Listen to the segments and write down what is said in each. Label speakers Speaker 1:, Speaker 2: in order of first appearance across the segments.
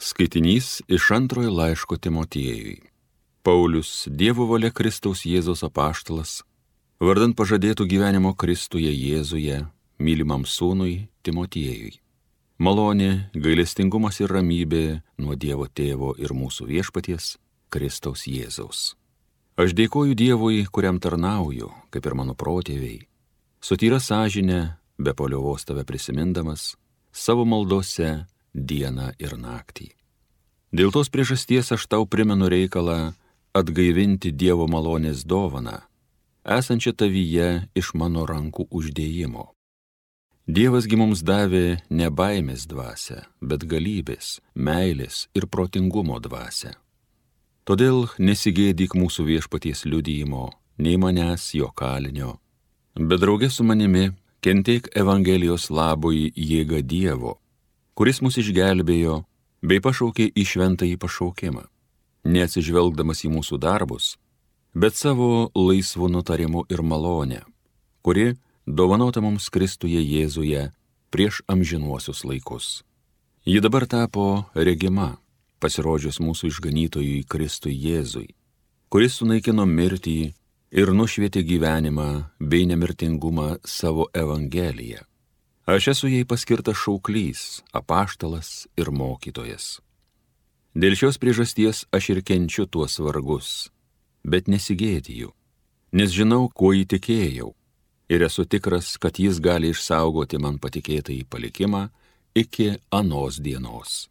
Speaker 1: Skaitinys iš antrojo laiško Timotiejui. Paulius, Dievo valia Kristaus Jėzaus apaštalas, vardant pažadėtų gyvenimo Kristuje Jėzuje, mylimam sūnui Timotiejui. Malonė, gailestingumas ir ramybė nuo Dievo Tėvo ir mūsų viešpaties Kristaus Jėzaus. Aš dėkoju Dievui, kuriam tarnauju, kaip ir mano protėviai, su tyra sąžine, be paliovos tave prisimindamas, savo maldose dieną ir naktį. Dėl tos priežasties aš tau primenu reikalą atgaivinti Dievo malonės dovaną, esančią tavyje iš mano rankų uždėjimo. Dievasgi mums davė ne baimės dvasią, bet galybės, meilės ir protingumo dvasią. Todėl nesigėdyk mūsų viešpaties liudijimo, nei manęs jo kalinio, bet draugė su manimi kentėk Evangelijos labui jėga Dievo, kuris mus išgelbėjo bei pašaukė į šventąjį pašaukimą, neatsižvelgdamas į mūsų darbus, bet savo laisvu nutarimu ir malonę, kuri dovanota mums Kristuje Jėzuje prieš amžinuosius laikus. Ji dabar tapo regima, pasirodžius mūsų išganytojui Kristui Jėzui, kuris sunaikino mirtį ir nušvietė gyvenimą bei nemirtingumą savo Evangeliją. Aš esu jai paskirtas šauklys, apaštalas ir mokytojas. Dėl šios priežasties aš ir kenčiu tuos vargus, bet nesigėdiju, nes žinau, kuo įtikėjau, ir esu tikras, kad jis gali išsaugoti man patikėtąjį palikimą iki anos dienos.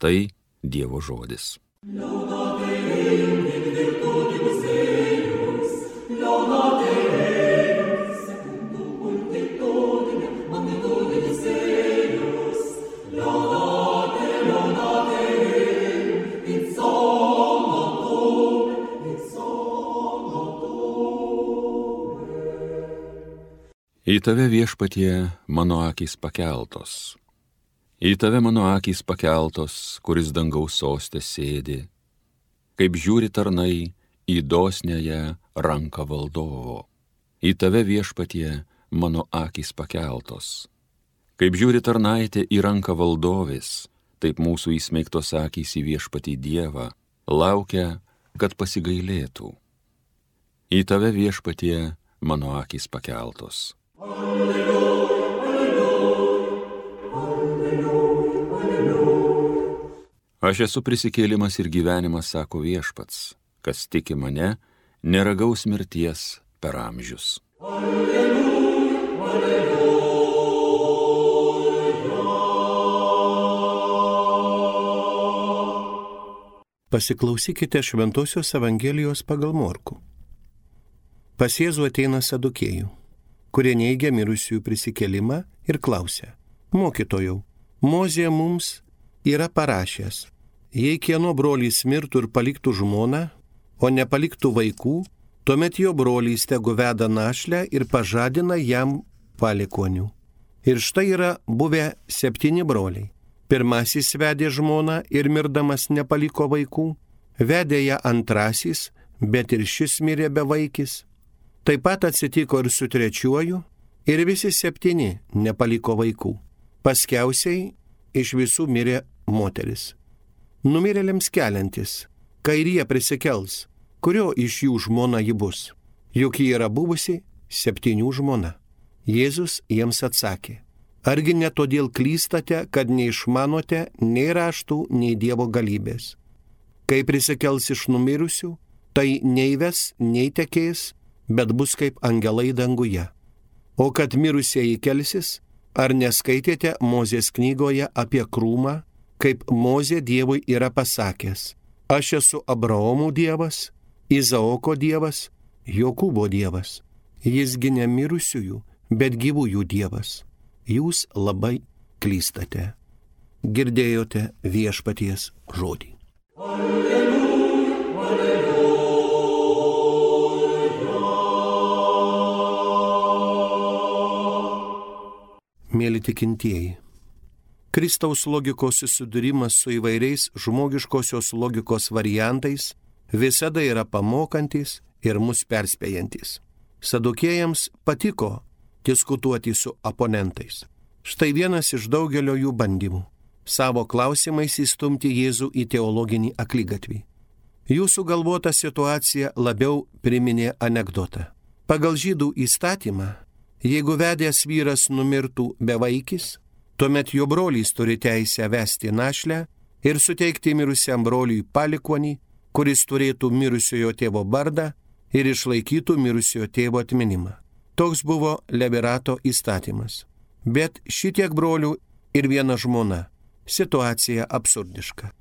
Speaker 1: Tai Dievo žodis. Į tave viešpatie mano akys pakeltos. Į tave mano akys pakeltos, kuris dangaus soste sėdi, kaip žiūri tarnai į dosniąją ranką valdovo. Į tave viešpatie mano akys pakeltos. Kaip žiūri tarnaitė į ranką valdovės, taip mūsų įsmeigtos akys į viešpatį Dievą, laukia, kad pasigailėtų. Į tave viešpatie mano akys pakeltos. Aš esu prisikėlimas ir gyvenimas, sako viešpats, kas tiki mane, neragaus mirties per amžius.
Speaker 2: Pasiklausykite Šventosios Evangelijos pagal Morkų. Pas Jėzų ateina sadukėjų, kurie neigia mirusiųjų prisikėlimą ir klausia: Mokytojau, Mozė mums yra parašęs, jei kieno brolys mirtų ir paliktų žmoną, o nepaliktų vaikų, tuomet jo brolys tegu veda našlę ir pažadina jam palikuonių. Ir štai yra buvę 7 broliai. Pirmasis vedė žmoną ir mirdamas nepaliko vaikų, vedė ją antrasis, bet ir šis mirė bevaikis. Taip pat atsitiko ir su trečiuoju, ir visi 7 nepaliko vaikų. Paskiausiai iš visų mirė moteris. Numirėliams keliantis, kairyje prisikels, kurio iš jų žmona ji bus, juk ji yra buvusi 7 žmona. Jėzus jiems atsakė: argi ne todėl klystate, kad neišmanote nei raštų, nei Dievo galybės? Kai prisikels iš numirusių, tai nei ves, nei tekės, bet bus kaip angelai danguje. O kad mirusieji kelsis, ar neskaitėte Mozės knygoje apie krūmą, kaip Mozė Dievui yra pasakęs: aš esu Abraomo Dievas, Izaoko Dievas, Jokūbo Dievas. Jisgi ne mirusiųjų, bet gyvųjų Dievas. Jūs labai klystate. Girdėjote viešpaties žodį. Mėly tikintieji, Kristaus logikos susidūrimas su įvairiais žmogiškosios logikos variantais visada yra pamokantis ir mus perspėjantis. Sadukėjams patiko diskutuoti su oponentais. Štai vienas iš daugelio jų bandymų. savo klausimais įstumti Jėzų į teologinį akligatvį. Jų sugalvota situacija labiau priminė anekdotą. Pagal žydų įstatymą, jeigu vedęs vyras numirtų bevaikis, tuomet jo brolys turi teisę vesti našlę ir suteikti mirusiam broliui palikuonį, kuris turėtų mirusiojo tėvo bardą ir išlaikytų mirusiojo tėvo atminimą. Toks buvo Levirato įstatymas. Bet šitiek brolių ir viena žmona. Situacija absurdiška.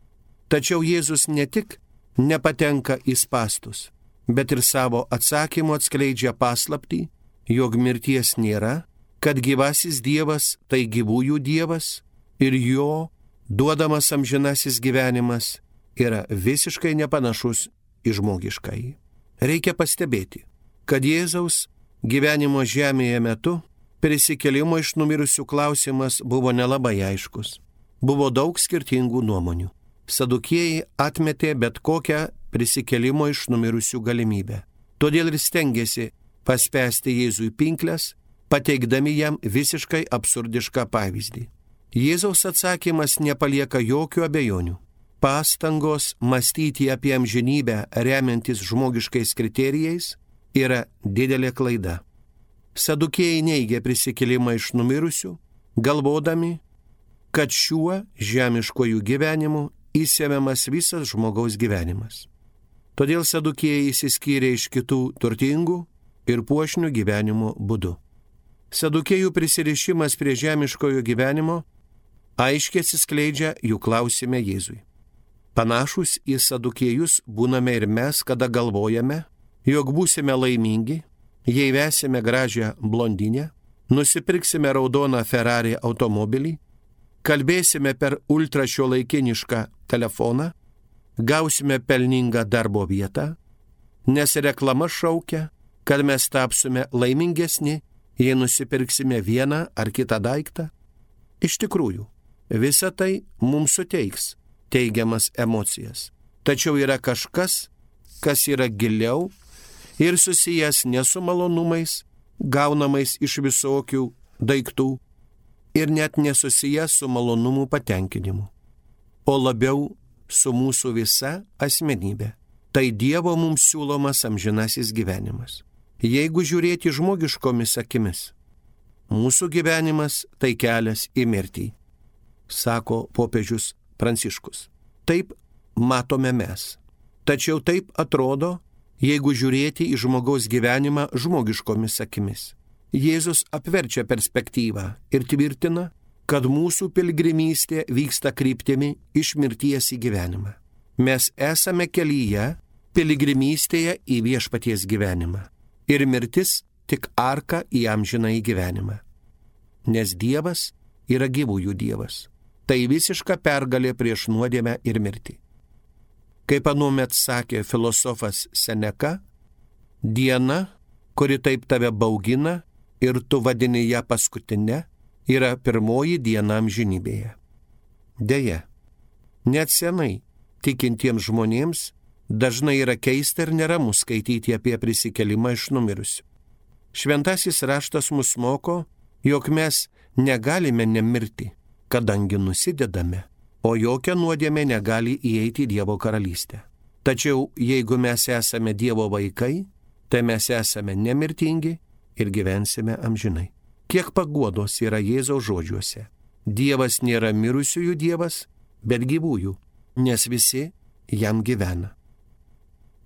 Speaker 2: Tačiau Jėzus ne tik nepatenka į spąstus, bet ir savo atsakymu atskleidžia paslaptį, jog mirties nėra, kad gyvasis Dievas tai gyvųjų Dievas ir jo duodamas amžinasis gyvenimas yra visiškai nepanašus į žmogiškąjį. Reikia pastebėti, kad Jėzaus gyvenimo žemėje metu prisikėlimo iš numirusių klausimas buvo nelabai aiškus. Buvo daug skirtingų nuomonių. Sadukėjai atmetė bet kokią prisikėlimo iš numirusių galimybę. Todėl ir stengiasi paspęsti Jėzui pinkles, pateikdami jam visiškai absurdišką pavyzdį. Jėzaus atsakymas nepalieka jokių abejonių. Pastangos mąstyti apie amžinybę remiantis žmogiškais kriterijais yra didelė klaida. Sadukėjai neigia prisikėlimą iš numirusių, galvodami, kad šiuo žemiškojų gyvenimu įsemiamas visas žmogaus gyvenimas. Todėl sadukėjai išsiskyrė iš kitų turtingų ir puošnių gyvenimo būdu. Sadukėjų prisirišimas prie žemiškojo gyvenimo aiškiai atsiskleidžia jų klausime Jėzui. Panašus į sadukėjus būname ir mes, kada galvojame, jog būsime laimingi, jei vesime gražią blondinę, nusipirksime raudoną Ferrari automobilį, kalbėsime per ultrašiuolaikinišką telefoną, gausime pelningą darbo vietą, nes reklama šaukia, kad mes tapsime laimingesni, jei nusipirksime vieną ar kitą daiktą. Iš tikrųjų, visa tai mums suteiks teigiamas emocijas. Tačiau yra kažkas, kas yra giliau ir susijęs ne su malonumais, gaunamais iš visokių daiktų ir net nesusijęs su malonumų patenkinimu, o labiau su mūsų visa asmenybė. Tai Dievo mums siūlomas amžinasis gyvenimas. Jeigu žiūrėti žmogiškomis akimis, mūsų gyvenimas tai kelias į mirtį, sako popiežius Pranciškus. Taip matome mes. Tačiau taip atrodo, jeigu žiūrėti į žmogaus gyvenimą žmogiškomis akimis. Jėzus apverčia perspektyvą ir tvirtina, kad mūsų piligrimystė vyksta kryptimi iš mirties į gyvenimą. Mes esame kelyje, piligrimystėje į viešpaties gyvenimą. Ir mirtis tik arka į amžinąjį gyvenimą. Nes Dievas yra gyvųjų Dievas. Tai visiška pergalė prieš nuodėmę ir mirtį. Kaip anuomet sakė filosofas Seneka, diena, kuri taip tave baugina ir tu vadini ją paskutinę, yra pirmoji diena amžinybėje. Deja, net senai tikintiems žmonėms dažnai yra keista ir neramu skaityti apie prisikėlimą iš numirusių. Šventasis raštas mus moko, jog mes negalime nemirti, kadangi nusidedame, o jokia nuodėmė negali įeiti į Dievo karalystę. Tačiau jeigu mes esame Dievo vaikai, tai mes esame nemirtingi ir gyvensime amžinai. Kiek paguodos yra Jėzaus žodžiuose. Dievas nėra mirusiųjų Dievas, bet gyvųjų, nes visi jam gyvena.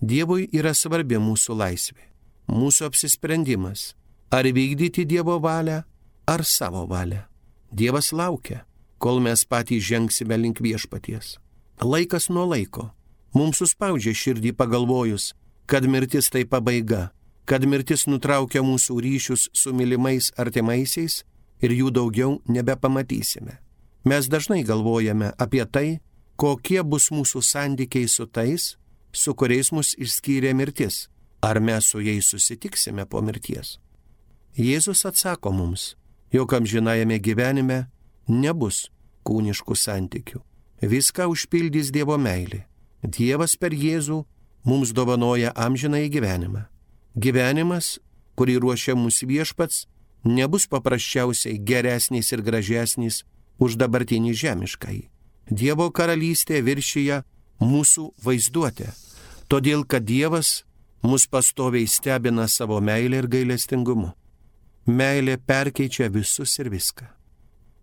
Speaker 2: Dievui yra svarbi mūsų laisvė, mūsų apsisprendimas, ar vykdyti Dievo valią, ar savo valią. Dievas laukia, kol mes patys žengsime link viešpaties. Laikas nuo laiko mums suspaudžia širdį pagalvojus, kad mirtis tai pabaiga, kad mirtis nutraukia mūsų ryšius su mylimais artimaisiais ir jų daugiau nebepamatysime. Mes dažnai galvojame apie tai, kokie bus mūsų santykiai su tais, su kuriais mus išskyrė mirtis, ar mes su jais susitiksime po mirties. Jėzus atsako mums, jog amžinajame gyvenime nebus kūniškų santykių. Viską užpildys Dievo meilė. Dievas per Jėzų mums dovanoja amžinąjį gyvenimą. Gyvenimas, kurį ruošia mūsų viešpats, nebus paprasčiausiai geresnis ir gražesnis už dabartinį žemiškąjį. Dievo karalystė viršyje mūsų vaizduotę, todėl kad Dievas mus pastoviai stebina savo meilę ir gailestingumu. Meilė perkeičia visus ir viską.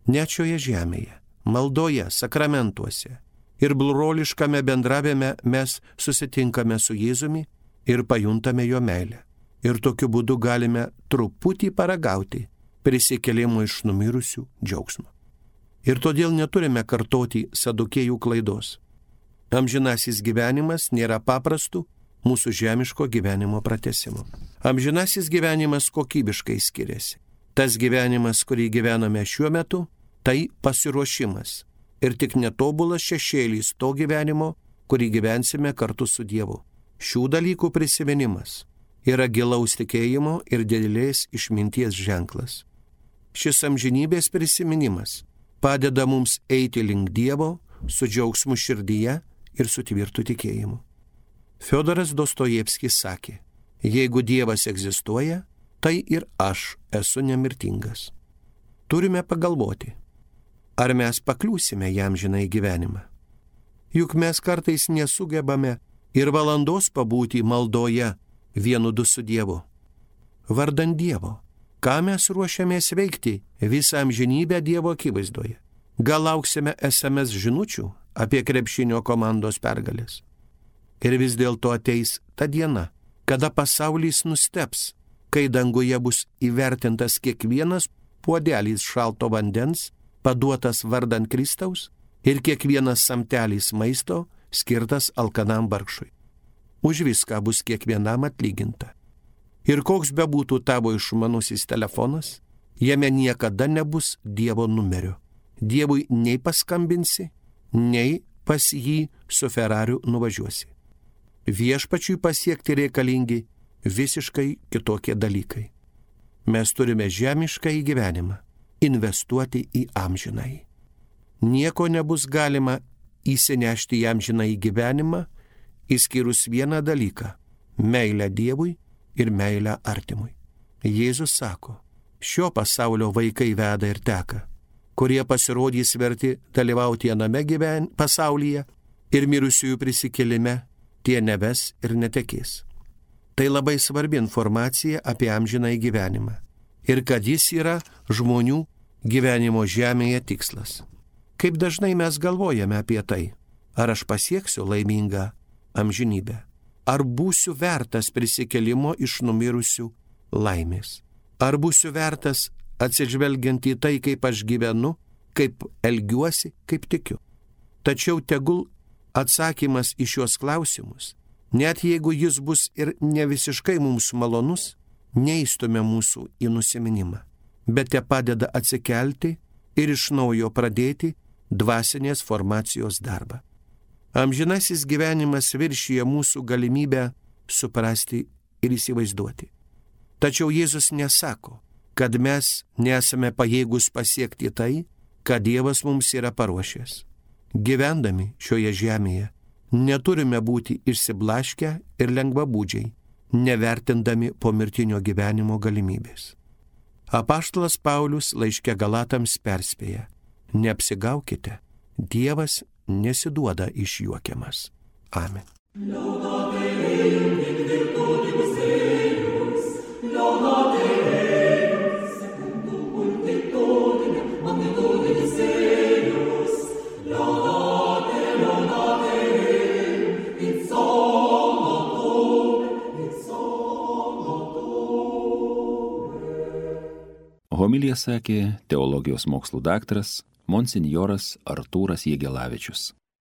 Speaker 2: Net šioje žemėje, maldoje, sakramentuose ir broliškame bendravime mes susitinkame su Jėzumi ir pajuntame jo meilę. Ir tokiu būdu galime truputį paragauti prisikėlimo iš numirusių džiaugsmo. Ir todėl neturime kartoti sadukėjų klaidos. Amžinasis gyvenimas nėra paprastų mūsų žemiško gyvenimo pratęsimo. Amžinasis gyvenimas kokybiškai skiriasi. Tas gyvenimas, kurį gyvename šiuo metu, tai pasiruošimas ir tik netobulas šešėlis to gyvenimo, kurį gyvensime kartu su Dievu. Šių dalykų prisiminimas yra gilaus tikėjimo ir didelės išminties ženklas. Šis amžinybės prisiminimas padeda mums eiti link Dievo su džiaugsmu širdyje ir su tvirtu tikėjimu. Fiodoras Dostojevskis sakė, jeigu Dievas egzistuoja, tai ir aš esu nemirtingas. Turime pagalvoti, ar mes pakliūsime jam žinai gyvenimą. Juk mes kartais nesugebame ir valandos pabūti maldoje vienu du su Dievu. Vardan Dievo, ką mes ruošiamės veikti visą amžinybę Dievo akivaizdoje? Gal lauksime SMS žinučių apie krepšinio komandos pergalės? Ir vis dėlto ateis ta diena, kada pasaulis nustebs, kai danguje bus įvertintas kiekvienas puodelis šalto vandens, paduotas vardan Kristaus, ir kiekvienas samtelis maisto skirtas alkanam vargšui. Už viską bus kiekvienam atlyginta. Ir koks bebūtų tavo išmanusis telefonas, jame niekada nebus Dievo numerio. Dievui nei paskambinsi, nei pas jį su Ferrariu nuvažiuosi. Viešpačiui pasiekti reikalingi visiškai kitokie dalykai. Mes turime žemišką gyvenimą investuoti į amžinąjį. Nieko nebus galima įsinešti į amžinąjį gyvenimą, išskyrus vieną dalyką – meilę Dievui ir meilę artimui. Jėzus sako, šio pasaulio vaikai veda ir teka, kurie pasirodys verti dalyvauti viename pasaulyje ir mirusiųjų prisikėlime, tie neves ir netekės. Tai labai svarbi informacija apie amžinąjį gyvenimą ir kad jis yra žmonių gyvenimo žemėje tikslas. Kaip dažnai mes galvojame apie tai, ar aš pasieksiu laimingą amžinybę, ar būsiu vertas prisikėlimo iš numirusių laimės, ar būsiu vertas atsižvelgiant į tai, kaip aš gyvenu, kaip elgiuosi, kaip tikiu. Tačiau tegul atsakymas į šios klausimus, net jeigu jis bus ir ne visiškai mums malonus, neįstumia mūsų į nusiminimą, bet te padeda atsikelti ir iš naujo pradėti dvasinės formacijos darbą. Amžinasis gyvenimas viršyje mūsų galimybę suprasti ir įsivaizduoti. Tačiau Jėzus nesako, kad mes nesame pajėgus pasiekti tai, ką Dievas mums yra paruošęs. Gyvendami šioje žemėje neturime būti išsiblaškę ir lengvabūdžiai, nevertindami pomirtinio gyvenimo galimybės. Apaštalas Paulius laiške Galatams perspėja, neapsigaukite, Dievas nesiduoda išjuokiamas. Amen.
Speaker 1: Homiliją sakė teologijos mokslų daktaras monsinjoras Artūras Jegelavičius.